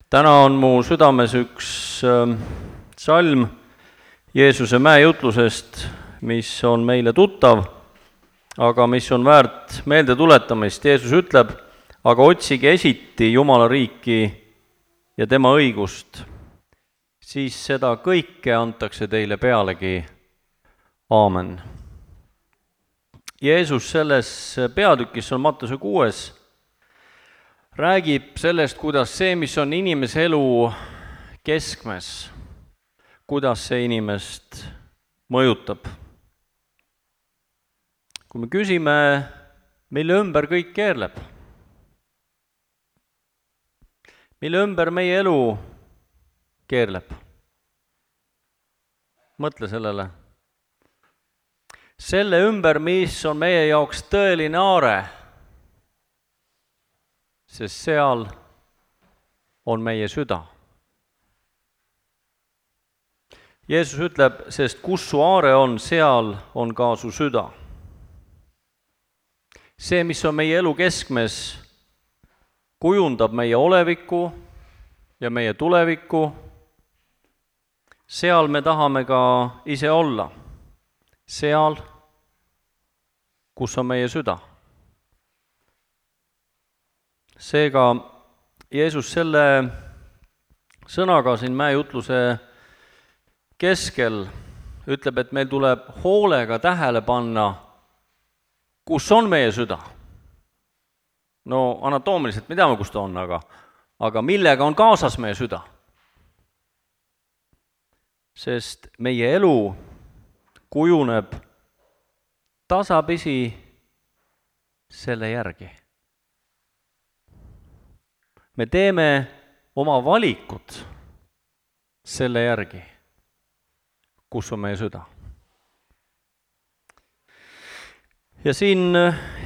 Täna on mu südames üks salm Jeesuse mäejutlusest, mis on meile tuttav, aga mis on väärt meelde tuletamist. Jeesus ütleb, aga otsige esiti Jumala riiki ja tema õigust, siis seda kõike antakse teile pealegi. Aamen. Jeesus selles peatükis on Mattuse 6, räägib sellest, kuidas see, mis on inimese elu keskmes, kuidas see inimest mõjutab. Kui me küsime, mille ümber kõik keerleb, mille ümber meie elu keerleb, mõtle sellele. Selle ümber, mis on meie jaoks tõeline aare, sest seal on meie süda. Jeesus ütleb, sest kus su aare on, seal on ka su süda. See, mis on meie elu keskmes, kujundab meie olevikku ja meie tulevikku. Seal me tahame ka ise olla. Seal, kus on meie süda. Seega Jeesus selle sõnaga siin mäejutluse keskel ütleb, et meil tuleb hoolega tähele panna, kus on meie süda. No anatoomiliselt me teame, kus ta on, aga millega on kaasas meie süda? Sest meie elu kujuneb tasapisi selle järgi. Me teeme oma valikud selle järgi, kus on meie süda. Ja siin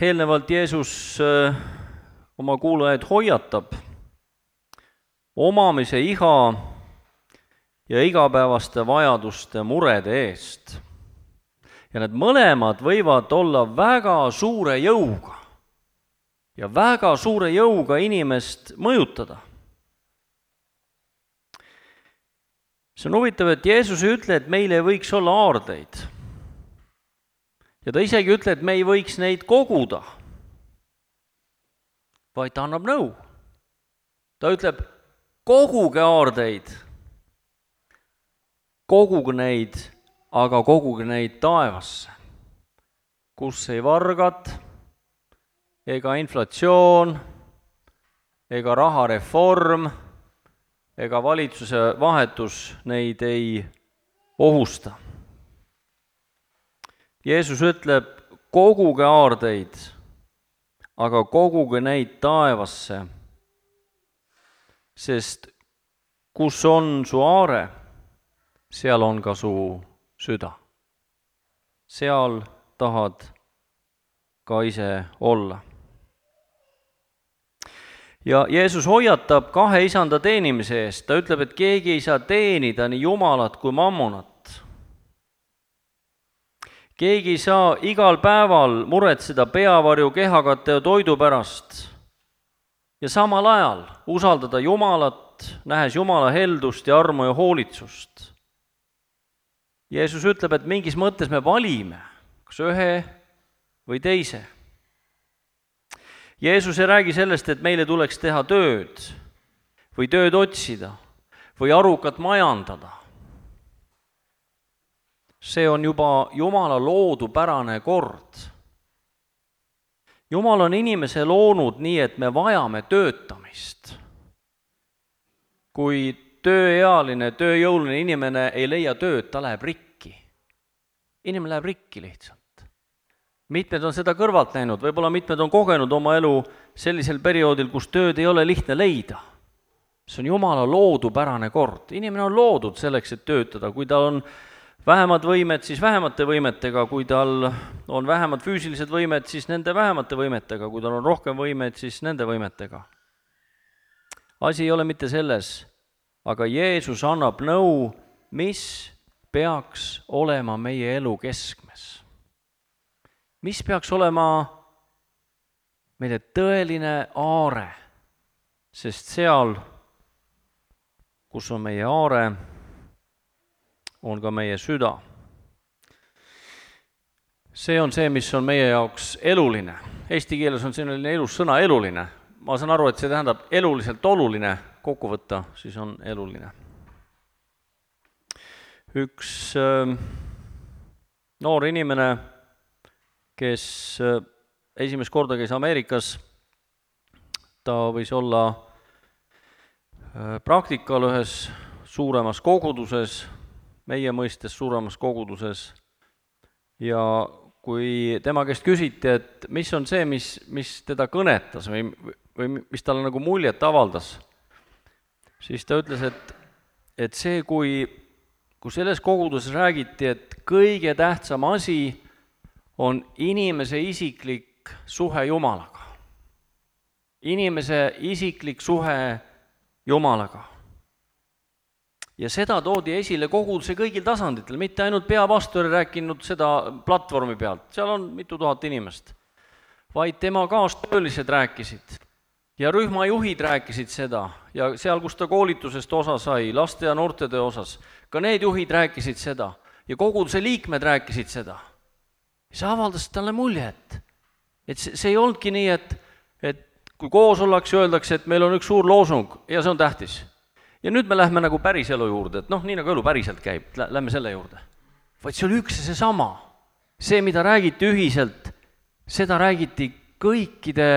eelnevalt Jeesus oma kuulajaid hoiatab omamise iha ja igapäevaste vajaduste murede eest. Ja need mõlemad võivad olla väga suure jõuga ja väga suure jõuga inimest mõjutada. See on huvitav, et Jeesus ei ütle, et meil ei võiks olla aardeid. Ja ta isegi ütle, et me ei võiks neid koguda, vaid ta annab nõu. Ta ütleb, koguge aardeid, koguge neid, aga koguge neid taevasse, kus ei vargad, ega inflatsioon, ega rahareform, ega valitsuse vahetus neid ei ohusta. Jeesus ütleb, koguge aardeid, aga koguge neid taevasse, sest kus on su aare, seal on ka su süda. Seal tahad ka ise olla. Ja Jeesus hoiatab kahe isanda teenimise eest. Ta ütleb, et keegi ei saa teenida nii Jumalat kui mammonat. Keegi ei saa igal päeval muretseda peavarju, kehakate ja toidu pärast ja samal ajal usaldada Jumalat, nähes Jumala heldust ja armu ja hoolitsust. Jeesus ütleb, et mingis mõttes me valime, kas ühe või teise. Jeesus ei räägi sellest, et meile tuleks teha tööd või tööd otsida või arukat majandada. See on juba Jumala loodupärane kord. Jumal on inimese loonud nii, et me vajame töötamist. Kui tööealine, tööjõuline inimene ei leia tööd, ta läheb rikki. Inimene läheb rikki lihtsalt. Mitmed on seda kõrvalt näinud, võib-olla mitmed on kogenud oma elu sellisel perioodil, kus tööd ei ole lihtne leida. See on Jumala loodupärane kord. Inimene on loodud selleks, et töötada. Kui tal on vähemad võimed, siis vähemate võimetega. Kui tal on vähemad füüsilised võimed, siis nende vähemate võimetega. Kui tal on rohkem võimed, siis nende võimetega. Asi ei ole mitte selles, aga Jeesus annab nõu, mis peaks olema meie elu keskmes. Mis peaks olema meile tõeline aare, sest seal kus on meie aare, on ka meie süda. See on see, mis on meie jaoks eluline. Eesti keeles on selline elus sõna eluline. Ma saan aru, et see tähendab eluliselt oluline, kokku võtta, siis on eluline. Üks noor inimene, kes esimest korda käis Ameerikas, ta võis olla praktikal ühes suuremas koguduses, meie mõistes suuremas koguduses, ja kui tema käest küsiti, et mis on see, mis teda kõnetas või mis talle nagu muljet avaldas, siis ta ütles, et see, kui selles koguduses räägiti, et kõige tähtsam asi on inimese isiklik suhe Jumalaga. Inimese isiklik suhe Jumalaga. Ja seda toodi esile koguduse kõigil tasanditel, mitte ainult peapastor rääkinud seda platvormi pealt, seal on mitu tuhat inimest, vaid tema kaastöölised rääkisid ja rühmajuhid rääkisid seda ja seal, kus ta koolitusest osa sai, laste ja noortetöö osas, ka need juhid rääkisid seda ja koguduse liikmed rääkisid seda. See avaldas talle mulje, et see ei olnudki nii, et kui koos ollakse, öeldakse, et meil on üks suur loosung ja see on tähtis. Ja nüüd me lähme nagu päris elu juurde, et nii nagu elu päriselt käib, lähme selle juurde. Vaid see oli üks ja see sama. See, mida räägiti ühiselt, seda räägiti kõikide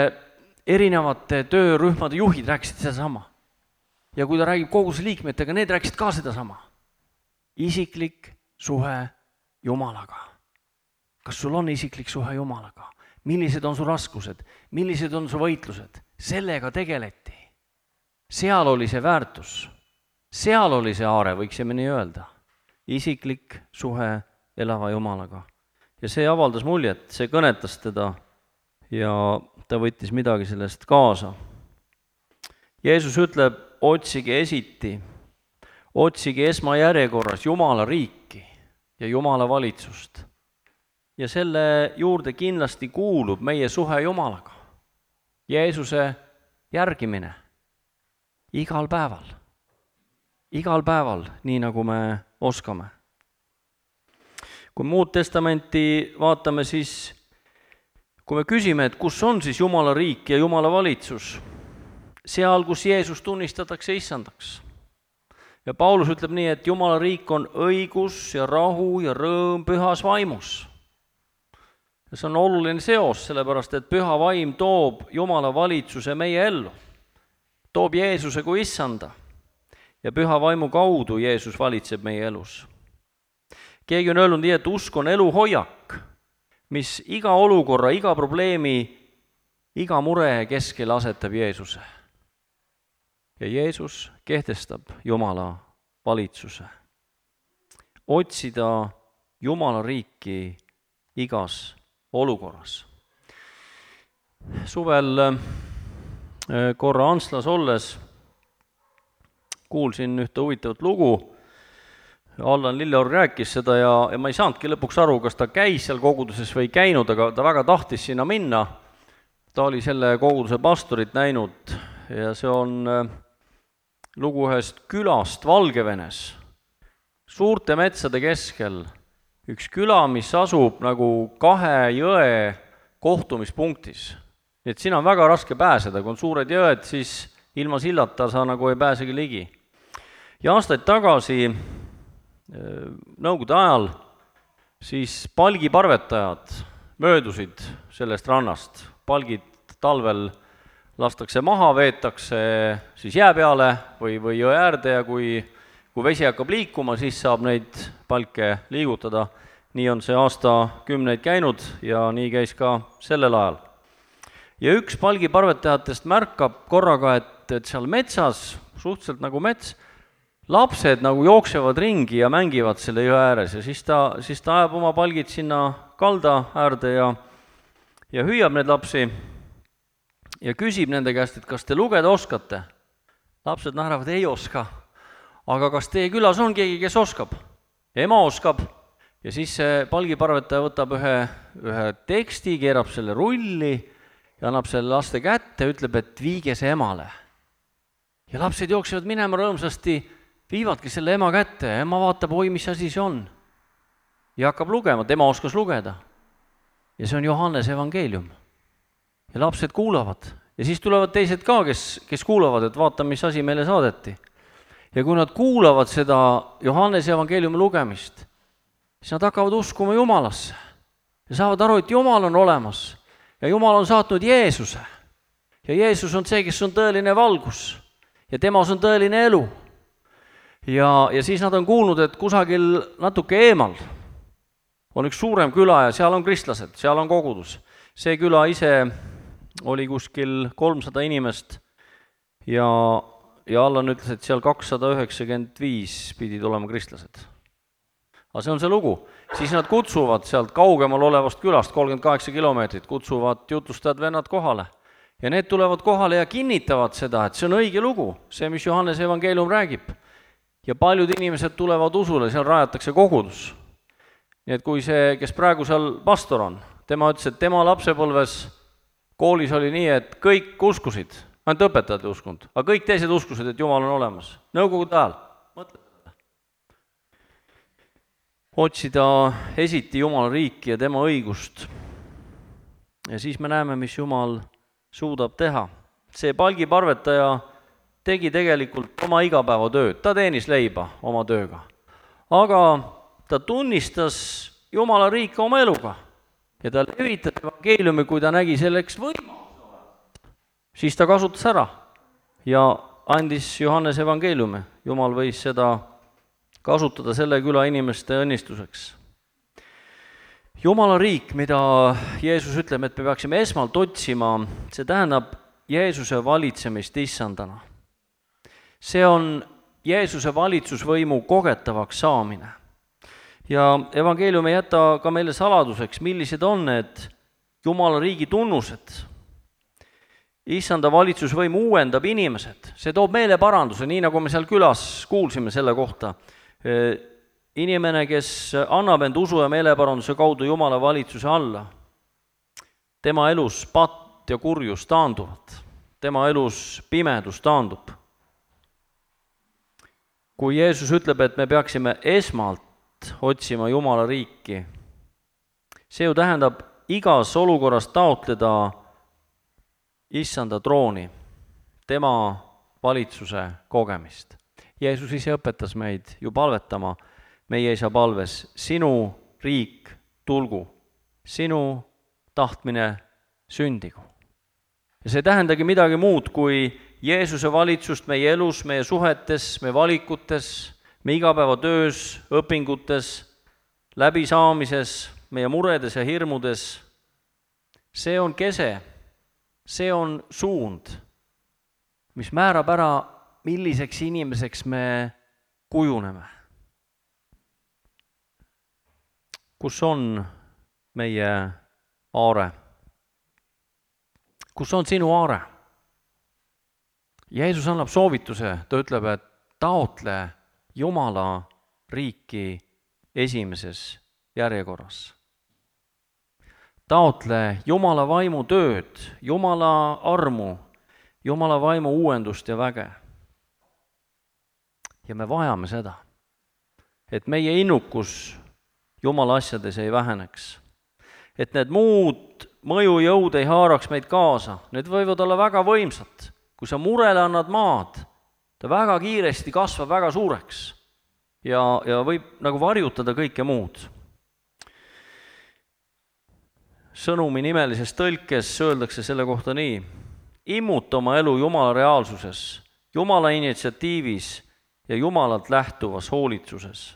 erinevate töörühmade juhid rääkisid seda sama. Ja kui ta räägib koguduse liikmetega, need rääkisid ka seda sama. Isiklik suhe Jumalaga. Kas sul on isiklik suhe Jumalaga? Millised on su raskused? Millised on su võitlused? Sellega tegeleti. Seal oli see väärtus. Seal oli see aare, võiksime nii öelda. Isiklik suhe elava Jumalaga. Ja see avaldas muljet, see kõnetas teda ja ta võttis midagi sellest kaasa. Jeesus ütleb, otsige esiti, otsige esmajärjekorras Jumala riiki ja Jumala valitsust. Ja selle juurde kindlasti kuulub meie suhe Jumalaga. Jeesuse järgimine igal päeval, nii nagu me oskame. Kui muud testamenti vaatame, siis kui me küsime, et kus on siis Jumala riik ja Jumala valitsus, seal, kus Jeesus tunnistatakse issandaks. Ja Paulus ütleb nii, et Jumala riik on õigus ja rahu ja rõõm pühas vaimus. Ja see on oluline seos, sellepärast et püha vaim toob Jumala valitsuse meie ellu. Toob Jeesuse kui issanda ja püha vaimu kaudu Jeesus valitseb meie elus. Keegi on öelnud nii, et usk on eluhoiak, mis iga olukorra, iga probleemi, iga mure keskel asetab Jeesuse. Ja Jeesus kehtestab Jumala valitsuse. Otsida Jumala riiki igas olukorras. Suvel korra Antslas olles kuulsin ühte huvitavat lugu. Allan Lilleorg rääkis seda ja ma ei saanudki lõpuks aru, kas ta käis seal koguduses või ei käinud, aga ta väga tahtis sinna minna. Ta oli selle koguduse pastorit näinud ja see on lugu ühest külast Valgevenes, suurte metsade keskel. Üks küla, mis asub nagu 2 jõe kohtumispunktis. Et siin on väga raske pääseda, kui on suured jõed, siis ilma sillata sa nagu ei pääsegi ligi. Ja aastaid tagasi, nõukogude ajal, siis palgiparvetajad möödusid sellest rannast. Palgid talvel lastakse maha, veetakse siis jää peale või jõe äärde ja kui vesi hakkab liikuma, siis saab neid palke liigutada. Nii on see aastakümneid käinud ja nii käis ka sellel ajal. Ja üks palgiparvetajatest märkab korraga, et seal metsas, suhteliselt nagu mets, lapsed nagu jooksevad ringi ja mängivad selle jõe ääres ja siis ta ajab oma palgid sinna kalda äärde ja hüüab need lapsi ja küsib nende käest, et kas te lugeda oskate. Lapsed naeravad, ei oska. Aga kas teie külas on keegi, kes oskab? Ema oskab. Ja siis see palgiparvetaja võtab ühe teksti, keerab selle rulli ja annab selle laste kätte ja ütleb, et viige see emale. Ja lapsed jooksevad minema rõõmsasti viivadki selle ema kätte ja ema vaatab, oi, mis asi see on. Ja hakkab lugema, tema oskas lugeda. Ja see on Johannese evangeelium. Ja lapsed kuulavad. Ja siis tulevad teised ka, kes kuulavad, et vaata, mis asi meile saadeti. Ja kui nad kuulavad seda Johannese evangeeliumi lugemist, siis nad hakkavad uskuma Jumalasse. Ja saavad aru, et Jumal on olemas. Ja Jumal on saatnud Jeesuse. Ja Jeesus on see, kes on tõeline valgus. Ja temas on tõeline elu. Ja siis nad on kuulnud, et kusagil natuke eemal on üks suurem küla ja seal on kristlased, seal on kogudus. See küla ise oli kuskil 300 inimest ja Allan ütles, et seal 295 pidid olema kristlased. Aga see on see lugu. Siis nad kutsuvad sealt kaugemal olevast külast, 38 kilomeetrit, kutsuvad jutlustajad vennad kohale. Ja need tulevad kohale ja kinnitavad seda, et see on õige lugu, see, mis Johannese evangeelium räägib. Ja paljud inimesed tulevad usule, seal rajatakse kogudus. Nii et kui see, kes praegu seal pastor on, tema ütles, et tema lapsepõlves koolis oli nii, et kõik uskusid, ainult õpetajad ei uskunud, aga kõik teised uskusid, et Jumal on olemas. Nõukogude ajal. Mõtle. Otsida esiti Jumala riiki ja tema õigust. Ja siis me näeme, mis Jumal suudab teha. See palgiparvetaja tegi tegelikult oma igapäevatööd, ta teenis leiba oma tööga. Aga ta tunnistas Jumala riiki oma eluga ja ta levitas evangeeliumi, kui ta nägi selleks võimalust. Siis ta kasutas ära ja andis Johannese evangeeliumi. Jumal võis seda kasutada selle küla inimeste õnnistuseks. Jumala riik, mida Jeesus ütleb, et me peaksime esmalt otsima, see tähendab Jeesuse valitsemist issandana. See on Jeesuse valitsusvõimu kogetavaks saamine. Ja evangeelium ei jäta ka meile saladuseks, millised on need Jumala riigi tunnused. Issanda valitsusvõim uuendab inimesed, see toob meile paranduse, nii nagu me seal külas kuulsime selle kohta. Inimene, kes annab end usu ja meeleparanduse kaudu Jumala valitsuse alla, tema elus patt ja kurjus taanduvad, tema elus pimedus taandub. Kui Jeesus ütleb, et me peaksime esmalt otsima Jumala riiki, see ju tähendab igas olukorras taotleda issanda trooni, tema valitsuse kogemist. Jeesus ise õpetas meid ju palvetama meie isa palves, sinu riik tulgu, sinu tahtmine sündigu. Ja see tähendagi midagi muud kui Jeesuse valitsust meie elus, meie suhetes, meie valikutes, meie igapäevatöös, õpingutes, läbisaamises, meie muredes ja hirmudes. See on kese, see on suund, mis määrab ära, milliseks inimeseks me kujuneme. Kus on meie aare? Kus on sinu aare? Jeesus annab soovituse, ta ütleb, et taotle Jumala riiki esimeses järjekorras. Taotle Jumala vaimu tööd, Jumala armu, Jumala vaimu uuendust ja väge. Ja me vajame seda, et meie innukus Jumala asjades ei väheneks. Et need muud mõjujõud ei haaraks meid kaasa, need võivad olla väga võimsad. Kui sa murele annad maad, ta väga kiiresti kasvab väga suureks ja võib nagu varjutada kõike muud. Sõnumi nimelises tõlkes öeldakse selle kohta nii: immuta oma elu Jumala reaalsuses, Jumala initsiatiivis ja Jumalalt lähtuvas hoolitsuses.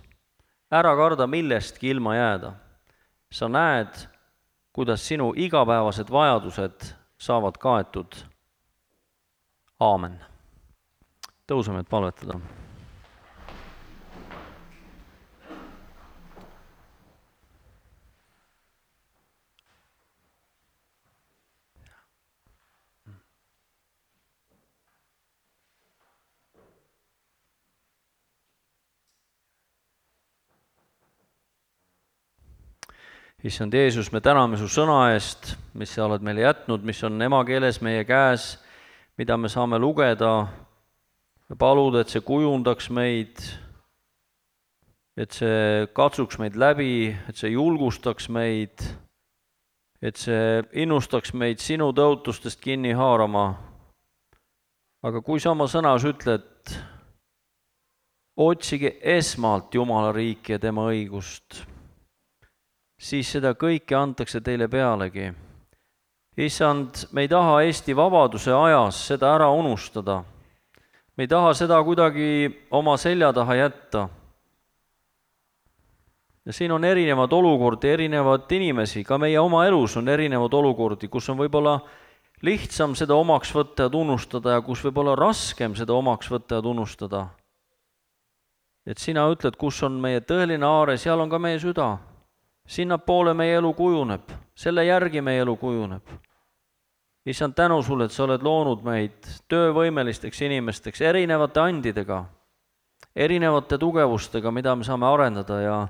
Ära karda millestki ilma jääda. Sa näed, kuidas sinu igapäevased vajadused saavad kaetud. Aamen. Tõuseme, et palvetada. Issand Jeesus, me täname su sõna eest, mis sa oled meile jätnud, mis on emakeeles meie käes, mida me saame lugeda paluda, et see kujundaks meid, et see katsuks meid läbi, et see julgustaks meid, et see innustaks meid sinu tõotustest kinni haarama. Aga kui sa oma sõnas ütled, otsige esmalt Jumala riiki ja tema õigust, siis seda kõike antakse teile pealegi. Issand, me ei taha Eesti vabaduse ajas seda ära unustada. Me ei taha seda kuidagi oma selja taha jätta. Ja siin on erinevad olukordi, erinevad inimesi, ka meie oma elus on erinevad olukordi, kus on võib-olla lihtsam seda omaks võtta ja tunnustada ja kus võib-olla raskem seda omaks võtta ja tunnustada. Et sina ütled, kus on meie tõeline aare, seal on ka meie süda. Sinna poole meie elu kujuneb, selle järgi meie elu kujuneb. Issand, tänu sulle, et sa oled loonud meid töövõimelisteks inimesteks erinevate andidega, erinevate tugevustega, mida me saame arendada ja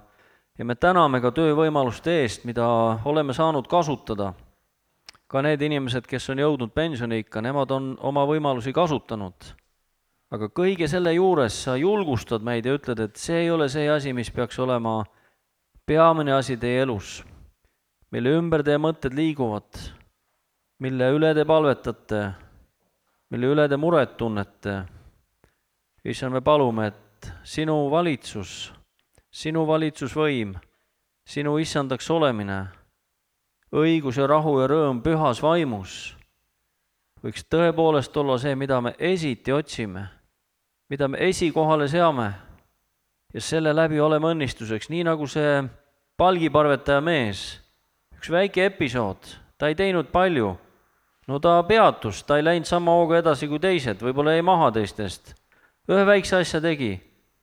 me täname ka töövõimaluste eest, mida oleme saanud kasutada. Ka need inimesed, kes on jõudnud pensioniikka, nemad on oma võimalusi kasutanud. Aga kõige selle juures sa julgustad meid ja ütled, et see ei ole see asi, mis peaks olema peamine asi teie elus, mille ümber teie mõtted liiguvad, mille üle te palvetate, mille üle te muret tunnete. Issand, me palume, et sinu valitsusvõim, sinu issandaks olemine, õigus ja rahu ja rõõm pühas vaimus võiks tõepoolest olla see, mida me esiti otsime, mida me esikohale seame ja selle läbi oleme õnnistuseks, nii nagu see palgiparvetaja mees, üks väike episood, ta ei teinud palju, no ta peatus, ta ei läinud sama hooga edasi kui teised, võib-olla jäi maha teistest, ühe väikse asja tegi,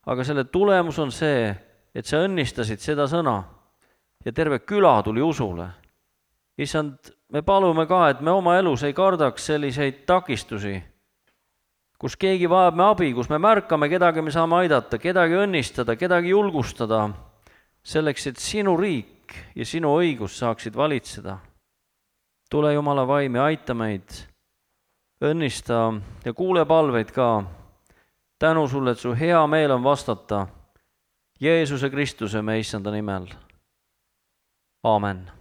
aga selle tulemus on see, et sa õnnistasid seda sõna ja terve küla tuli usule. Issand, me palume ka, et me oma elus ei kardaks selliseid takistusi, kus keegi vajab me abi, kus me märkame kedagi, me saame aidata, kedagi õnnistada, kedagi julgustada, selleks, et sinu riik ja sinu õigus saaksid valitseda. Tule Jumala vaim ja aita meid, õnnista ja kuule palveid ka. Tänu sulle, et su hea meel on vastata Jeesuse Kristuse, me issanda nimel. Aamen.